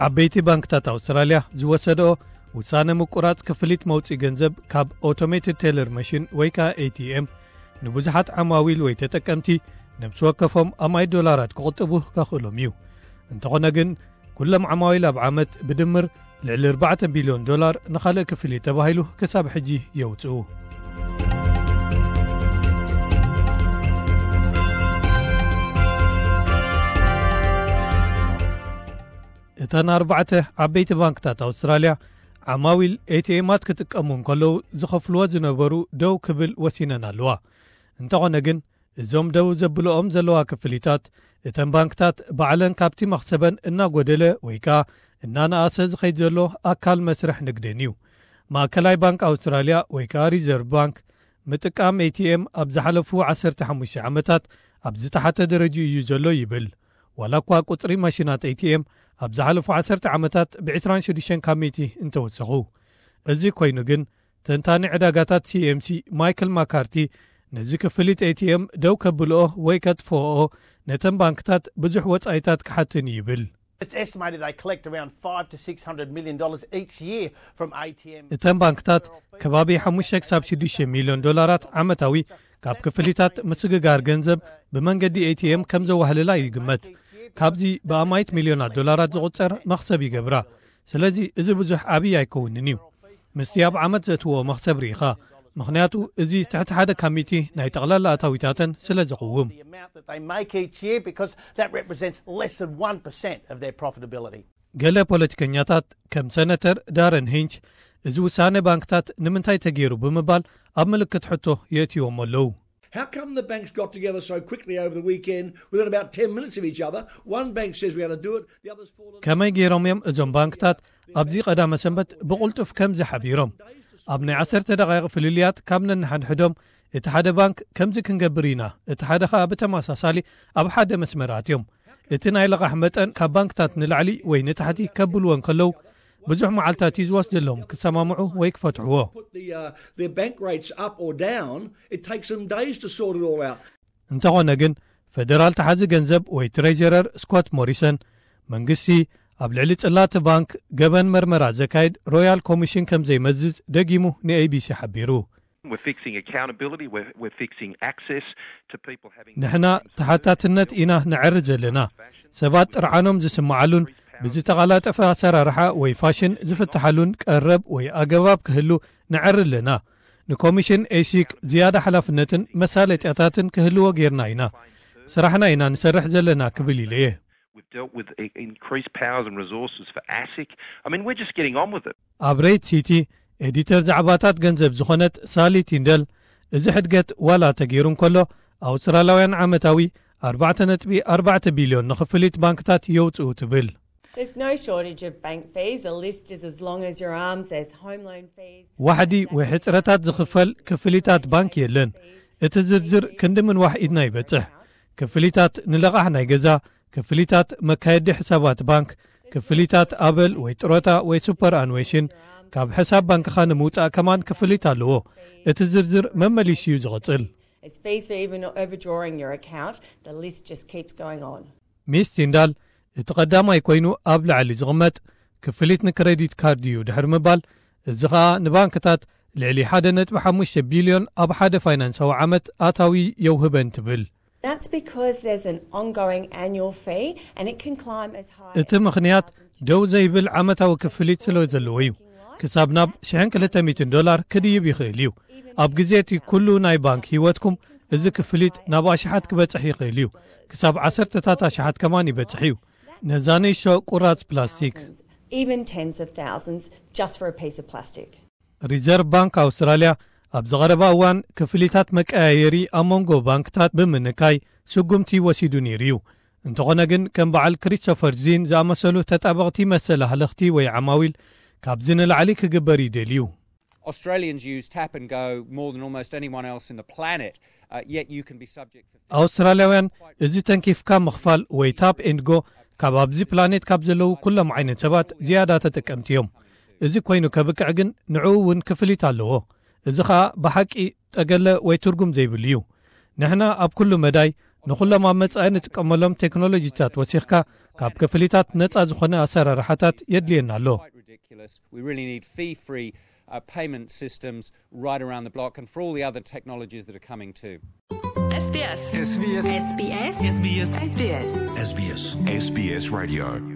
ዓበይቲ ባንክታት ኣውስትራልያ ዝወሰድኦ ውሳነ ምቁራጽ ክፍሊት መውጽኢ ገንዘብ ካብ Automated Teller Machine ወይ ከኣ A T M ንብዙሓት ዓማዊል ወይ ተጠቀምቲ ነብሲ ወከፎም ኣማይ ዶላራት ክቕጥቡ ከኽእሎም እዩ። እንተኾነ ግን፣ ኩሎም ዓማዊል ኣብ ዓመት ብድምር ልዕሊ ኣርባዕተ ቢልዮን ዶላር ንኻልእ ክፍሊት ተባሂሉ ክሳብ ሕጂ የውጽኡ። እተን ኣርባዕተ ዓበይቲ ባንክታት ኣውስትራልያ ዓማዊል ኤቲኤማት ክጥቀሙ እንከለዉ ዝኸፍልዎ ዝነበሩ ደው ክብል ወሲነን ኣለዋ። እንተኾነ ግን፣ እዞም ደው ዘብልኦም ዘለዋ ክፍሊታት፣ እተን ባንክታት ባዕለን ካብቲ መኽሰበን እናጎደለ ወይ ከኣ እናነኣሰ ዝኸይድ ዘሎ ኣካል መስርሕ ንግደን እዩ። ማእከላይ ባንክ ኣውስትራልያ ወይ ከኣ ሪዘርቭ ባንክ፣ ምጥቃም ኤቲኤም ኣብ ዝሓለፉ ዓሰርተ ሓሙሽተ ዓመታት ኣብ ዝተሓተ ደረጃ እዩ ዘሎ ይብል። ዋላ እኳ ቁጽሪ ማሽናት ኤቲኤም ኣብ ዝሓለፉ ዓሰርተ ዓመታት ብ ዕስራን ሽዱሽተን ካብ ሚእቲ እንተወሰኹ። እዚ ኮይኑ ግን፣ ተንታኒ ዕዳጋታት ሲኤምሲ ማይክል ማካርቲ፣ ነዚ ክፍሊት ኤቲኤም ደው ከብልኦ ወይ ከጥፍኦ ነተን ባንክታት ብዙሕ ወጻኢታት ክሓትን እዩ ይብል። It's estimated they collect around five to six hundred million dollars each year from A T M. እተን ባንክታት ከባቢ ሓሙሽተ ክሳብ ሽዱሽተ ሚልዮን ዶላራት ዓመታዊ ካብ ክፍሊታት ምስግጋር ገንዘብ ብመንገዲ ኤቲኤም ከም ዘዋህልላ ይግመት። ካብዚ ብኣማይት ሚልዮናት ዶላራት ዝቑጸር መኽሰብ ይገብራ። ስለዚ እዚ ብዙሕ ዓብዪ ኣይከውንን እዩ። ምስቲ ኣብ ዓመት ዘእትዎ መኽሰብ ርኢኻ። ምኽንያቱ እዚ ትሕቲ ሓደ ካብ ሚእቲ ናይ ጠቕላላ ኣታዊታተን ስለ ዘቕውም። The amount that they make each year, because that represents less than one percent of their profitability. ገለ ፖለቲከኛታት ከም ሰነተር ዳረን ሂንች፣ እዚ ውሳነ ባንክታት ንምንታይ ተገይሩ ብምባል ኣብ ምልክት ሕቶ የእትዎም ኣለዉ። How come the banks got together so quickly over the weekend, within about ten minutes of each other? One bank says we had to do it, the others fall in. ከመይ ገይሮም እዮም እዞም ባንክታት ኣብዚ ቀዳመ ሰንበት ብቕልጡፍ ከምዚ ሓቢሮም? ኣብ ናይ ዓሰርተ ደቓይቕ ፍልልያት ካብ ነንሓድሕዶም፣ እቲ ሓደ ባንክ ከምዚ ክንገብር ኢና፣ እቲ ሓደ ኸኣ ብተመሳሳሊ ኣብ ሓደ መስመር ኣትዮም። እቲ ናይ ለቓሕ መጠን ካብ ባንክታት ንላዕሊ ወይ ንታሕቲ ከብልዎ እንከለዉ፣ ብዙሕ መዓልታት እዩ ዝወስደሎም ክሰማምዑ ወይ ክፈትሕዎ። Put the, uh, their bank rates up or down, it takes them days to sort it all out. እንተኾነ ግን፣ ፈደራል ተሓዚ ገንዘብ ወይ ትሬጀረር ስኮት ሞሪሰን፣ መንግስቲ ኣብ ልዕሊ ጽላት ባንክ ገበን መርመራ ዘካይድ ሮያል ኮሚሽን ከም ዘይመዝዝ ደጊሙ ንኤቢሲ ሓቢሩ። We're fixing accountability, we're, we're fixing access to people having ንሕና ተሓታትነት ኢና ነዕሪ ዘለና። ሰባት ጥርዓኖም ዝስምዓሉን ብዝተቐላጠፈ ኣሰራርሓ ወይ ፋሽን ዝፍትሓሉን ቀረብ ወይ ኣገባብ ክህሉ ነዕሪ ኣለና። ንኮሚሽን ኤሲክ ዝያዳ ሓላፍነትን መሳለጥያታትን ክህልዎ ጌርና ኢና። ስራሕና ኢና ንሰርሕ ዘለና ክብል ኢለ እየ። We've dealt with i- increased powers and resources for asic. I mean, we're just getting on with it. ኣብ ሬድ ሲቲ ኤዲተር ዛዕባታት ገንዘብ ዝኾነት ሳሊ ቲንደል፣ እዚ ሕድገት ዋላ ተገይሩ እንከሎ፣ ኣውስትራልያውያን ዓመታዊ ኣርባዕተ ነጥቢ ኣርባዕተ ቢልዮን ንኽፍሊት ባንክታት የውጽኡ ትብል። There's no shortage of bank fees. The list is as long as your arms. There's home loan fees. ዋሕዲ ወይ ሕጽረታት ዝኽፈል ክፍሊታት ባንክ የለን። እቲ ዝርዝር ክንዲ ምንዋሕ ኢድና ይበጽሕ። ክፍሊታት ንለቓሕ ናይ ገዛ፣ ክፍሊታት መካየዲ ሕሳባት ባንክ፣ ክፍሊታት ኣበል ወይ ጥሮታ ወይ ሱፐር ኣንዌሽን፣ ካብ ሕሳብ ባንክኻ ንምውጻእ ከማን ክፍሊት ኣለዎ። እቲ ዝርዝር መመሊሱ እዩ ዝቕጽል። It's fees for even overdrawing your account. The list just keeps going on. ሚስ ቲንዳል፣ እቲ ቀዳማይ ኮይኑ ኣብ ላዕሊ ዝቕመጥ ክፍሊት ንክሬዲት ካርድ እዩ ድሕሪ ምባል፣ እዚ ኸኣ ንባንክታት ልዕሊ ሓደ ነጥቢ ሓሙሽተ ቢልዮን ኣብ ሓደ ፋይናንሳዊ ዓመት ኣታዊ የውህበን ትብል። That's because there's an ongoing annual fee and it can climb as high እቲ ምኽንያት ደው ዘይብል ዓመታዊ ክፍሊት ስለ ዘለዎ እዩ። ክሳብ ናብ ሽሕን ክልተ ሚእትን ዶላር ክድይብ ይኽእል እዩ። ኣብ ግዜ እቲ ኩሉ ናይ ባንክ ህይወትኩም እዚ ክፍሊት ናብ ኣሽሓት ክበጽሕ ይኽእል እዩ። ክሳብ ዓሰርተታት ኣሽሓት ከማን ይበጽሕ እዩ። ነዛ ንእሽቶ ቁራጽ ፕላስቲክ። Even tens of thousands just for a piece of plastic. ሪዘርቭ ባንክ ኣውስትራልያ ኣብ ዝቐረባ እዋን ክፍሊታት መቀያየሪ ኣብ መንጎ ባንክታት ብምንካይ ስጉምቲ ወሲዱ ነይሩ እዩ። እንተኾነ ግን ከም በዓል ክሪስቶፈር ዚን ዝኣመሰሉ ተጣበቕቲ መሰል ኣህለኽቲ ወይ ዓማዊል ካብዚ ንላዕሊ ክግበር ይደልዩ። Australians use tap and go more than almost anyone else in the planet, uh, yet you can be subject for ኣውስትራልያውያን እዚ ተንኪፍካ ምኽፋል ወይ ታፕ ኤንድ ጎ ካብ ኣብዚ ፕላኔት ካብ ዘለዉ ኩሎም ዓይነት ሰባት ዝያዳ ተጠቀምቲ እዮም። እዚ ኮይኑ ከብቅዕ ግን ንዕኡ እውን ክፍሊት ኣለዎ። እዚ ኸኣ ብሓቂ ጠገለ ወይ ትርጉም ዘይብሉ እዩ። ንሕና ኣብ ኩሉ መዳይ ንኹሎም ኣብ መጻኢ ንጥቀመሎም ቴክኖሎጂታት ወሲኽካ ካብ ክፍሊታት ነጻ ዝኾነ ኣሰራርሓታት የድልየና ኣሎ። We really need fee free uh, payment systems right around the block and for all the other technologies that are coming too. SBS. SBS. SBS. SBS. SBS. SBS. SBS Radio.